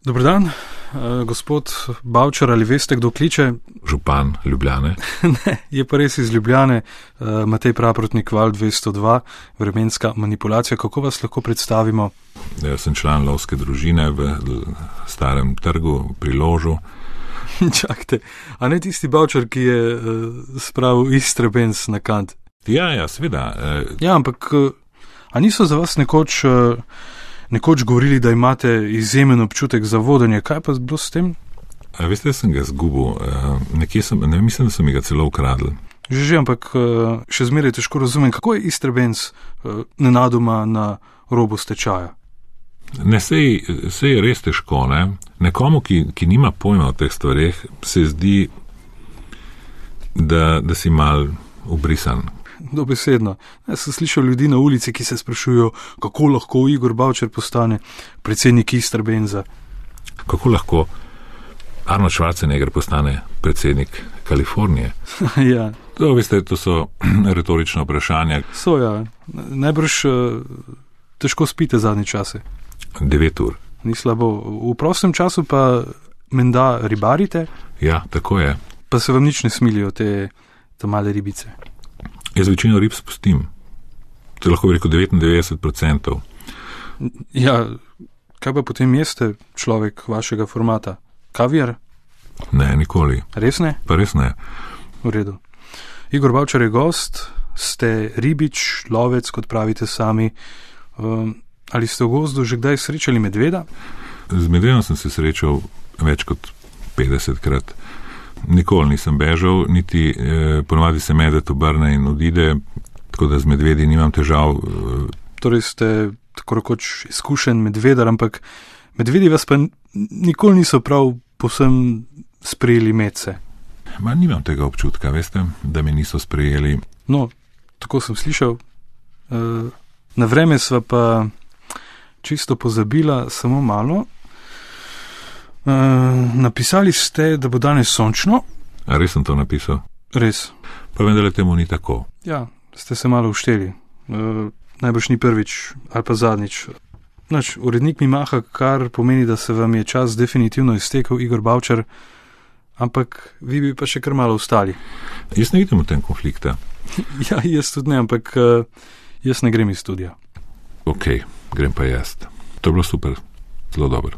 Dober dan, gospod Bavčar, ali veste, kdo kliče? Župan Ljubljane. Ne, je pa res iz Ljubljane, Matej Praprotnik, Val 202, vremenska manipulacija. Kako vas lahko predstavimo? Jaz sem član lovske družine v Starem trgu pri Ložu. Čakajte, a ne tisti Bavčar, ki je spravil Istrabenz na kant? Ja, seveda. Ja, ampak a niso za vas nekoč govorili, da imate izjemen občutek za vodenje? Kaj pa bilo s tem? Veste, sem ga zgubil. Mislim, da so mi ga celo ukradli. Že, ampak še zmeraj težko razumem, kako je Istrabenz nenadoma na robu stečaja. Ne, sej je res težko, ne? Nekomu, ki nima pojma o teh stvareh, se zdi, da si mal ubrisan. Dobesedno. Jaz sem slišal ljudi na ulici, ki se sprašujejo, kako lahko Igor Bavčar postane predsednik Istrabenza. Kako lahko Arnold Schwarzenegger postane predsednik Kalifornije? Ja. To so retorična vprašanja. So, ja. Najbrž težko spite zadnje čase. 9 ur. Ni slabo. V prostem času pa menda ribarite? Ja, tako je. Pa se vam nič ne smilijo te male ribice? Jaz večino rib spustim. To je lahko rekel 99%. Ja, kaj pa potem jeste človek vašega formata? Kaviar? Ne, nikoli. Res ne? Pa res ne. V redu. Igor Bavčar je gost, ste ribič, lovec, kot pravite sami. Ali ste v gozdu že kdaj srečali medveda? Z medvedom sem se srečal več kot 50-krat. Nikoli nisem bežal, niti ponovadi se medved obrne in odide, tako da z medvedi nimam težav. Torej ste tako rekoč izkušen medvedar, ampak medvedi vas pa nikoli niso prav povsem sprejeli medse. Nimam tega občutka, veste, da me niso sprejeli. No, tako sem slišal. Na vreme sva pa čisto pozabila, samo malo. Napisali ste, da bo danes sončno. A res sem to napisal? Res. Pa vendar temu ni tako. Ja, ste se malo ušteli. Najbrž ni prvič ali pa zadnjič. Urednik mi maha, kar pomeni, da se vam je čas definitivno iztekel, Igor Bavčar, ampak vi bi pa še kar malo ostali. Jaz ne vidim v tem konflikta. Ja, jaz tudi ne, ampak jaz ne grem iz studia. Ok, grem pa jaz. To je bilo super, zelo dobro.